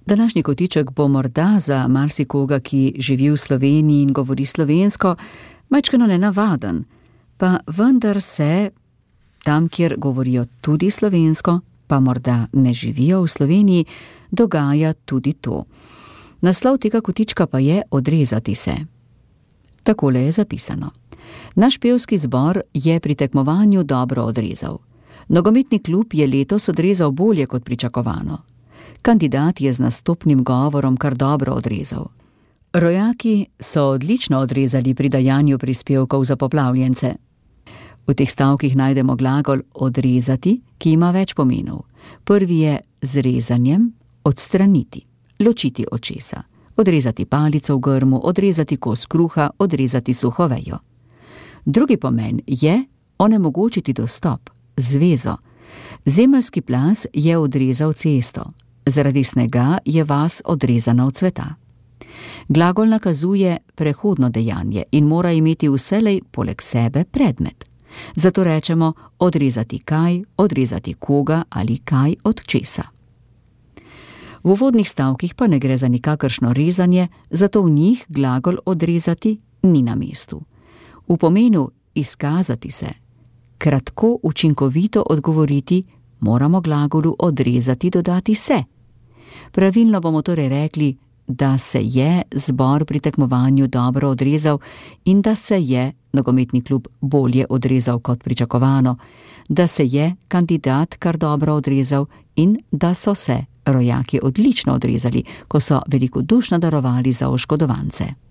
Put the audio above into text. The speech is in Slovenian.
Današnji kotiček bo morda za marsikoga, ki živi v Sloveniji in govori slovensko, majčkeno nenavaden, pa vendar se tam, kjer govorijo tudi slovensko, pa morda ne živijo v Sloveniji, dogaja tudi to. Naslov tega kotička pa je Odrezati se. Takole je zapisano. Naš pevski zbor je pri tekmovanju dobro odrezal. Nogometni klub je letos odrezal bolje kot pričakovano. Kandidat je z nastopnim govorom kar dobro odrezal. Rojaki so odlično odrezali pri dajanju prispevkov za poplavljence. V teh stavkih najdemo glagol odrezati, ki ima več pomenov. Prvi je z rezanjem odstraniti, ločiti očesa, odrezati palico v grmu, odrezati kos kruha, odrezati suho vejo. Drugi pomen je onemogočiti dostop, zvezo. Zemeljski plaz je odrezal cesto, zaradi snega je vas odrezana od sveta. Glagol nakazuje prehodno dejanje in mora imeti vselej poleg sebe predmet. Zato rečemo odrezati kaj, odrezati koga ali kaj od česa. V uvodnih stavkih pa ne gre za nikakršno rezanje, zato v njih glagol odrezati ni na mestu. V pomenu izkazati se, kratko, učinkovito odgovoriti, moramo glagolu odrezati dodati se. Pravilno bomo torej rekli, da se je zbor pri tekmovanju dobro odrezal in da se je nogometni klub bolje odrezal kot pričakovano, da se je kandidat kar dobro odrezal in da so se rojaki odlično odrezali, ko so velikodušno darovali za oškodovance.